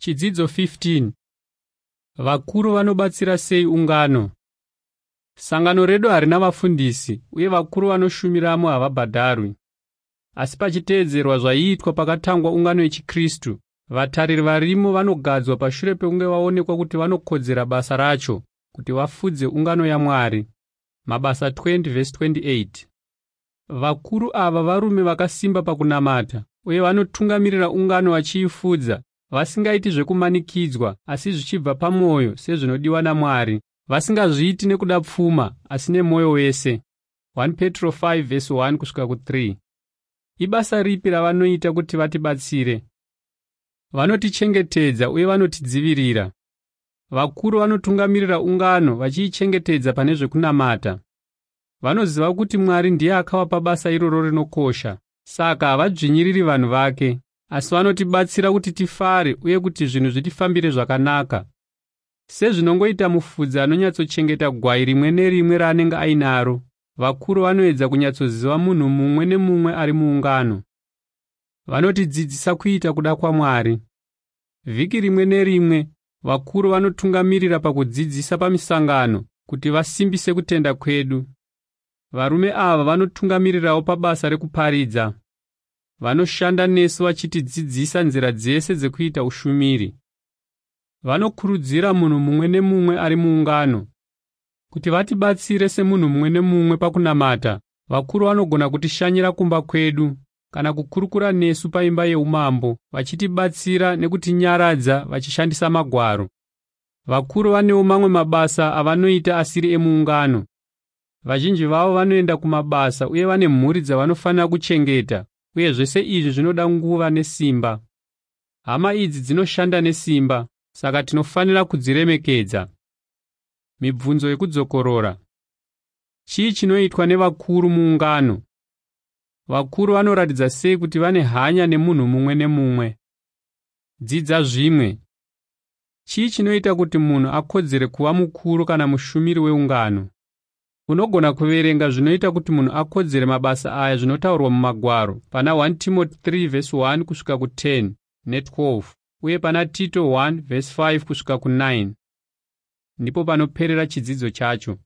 Chidzidzo 15. Vakuru vanobatsira sei ungano? Sangano redu harina vafundisi uye vakuru vanoshumiramo havabhadharwi. Asi pachiteedzerwa zvaiitwa pakatangwa ungano yechiKristu, vatariri varimo vanogadzwa pashure pekunge vaonekwa kuti vanokodzera basa racho kuti vafudze ungano yaMwari. Mabasa 20:28. Vakuru ava varume vakasimba pakunamata uye vanotungamirira ungano vachiifudza, vasingaiti zvekumanikidzwa asi zvichibva pamwoyo sezvinodiwa naMwari, vasingazviiti nekuda pfuma asi nemwoyo wese. 1 Petro 5:1 kusvika ku3. Ibasa ripi ravanoita kuti vatibatsire? Vanotichengetedza uye vanotidzivirira. Vakuru vanotungamirira ungano vachiichengetedza pane zvekunamata. Vanoziva kuti Mwari ndiye akavapa basa iroro rinokosha, saka havadzvinyiriri vanhu vake, asi vanotibatsira kuti tifare uye kuti zvinhu zvitifambire zvakanaka. Sezvinongoita mufudzi anonyatsochengeta gwai rimwe nerimwe raanenge ainaro, vakuru vanoedza kunyatsoziva munhu mumwe nemumwe ari muungano. Vanotidzidzisa kuita kuda kwaMwari. Vhiki rimwe nerimwe, vakuru vanotungamirira pakudzidzisa pamisangano kuti vasimbise kutenda kwedu. Varume ava vanotungamirirawo pabasa rekuparidza. Vanoshanda nesu vachitidzidzisa nzira dzese dzekuita ushumiri. Vanokurudzira munhu mumwe nemumwe ari muungano. Kuti vatibatsire semunhu mumwe nemumwe pakunamata, vakuru vanogona kutishanyira kumba kwedu kana kukurukura nesu paimba yeumambo, vachitibatsira nekutinyaradza vachishandisa magwaro. Vakuru vanewo mamwe mabasa avanoita asiri emuungano. Vazhinji vavo vanoenda kumabasa uye vane mhuri dzavanofanira kuchengeta, uye zvese izvi zvinoda nguva nesimba. Hama idzi dzinoshanda nesimba, saka tinofanira kudziremekedza. Mibvunzo yekudzokorora. Chii chinoitwa nevakuru muungano? Vakuru vanoratidza sei kuti vane hanya nemunhu mumwe nemumwe? Dzidza zvimwe. Chii chinoita kuti munhu akodzere kuva mukuru kana mushumiri weungano? Unogona kuverenga zvinoita kuti munhu akodzere mabasa aya zvinotaurwa mumagwaro pana 1 Timothy 3:1 kusvika ku10 ne12 uye pana Tito 1:5 kusvika ku9. Ndipo panoperera chidzidzo chacho.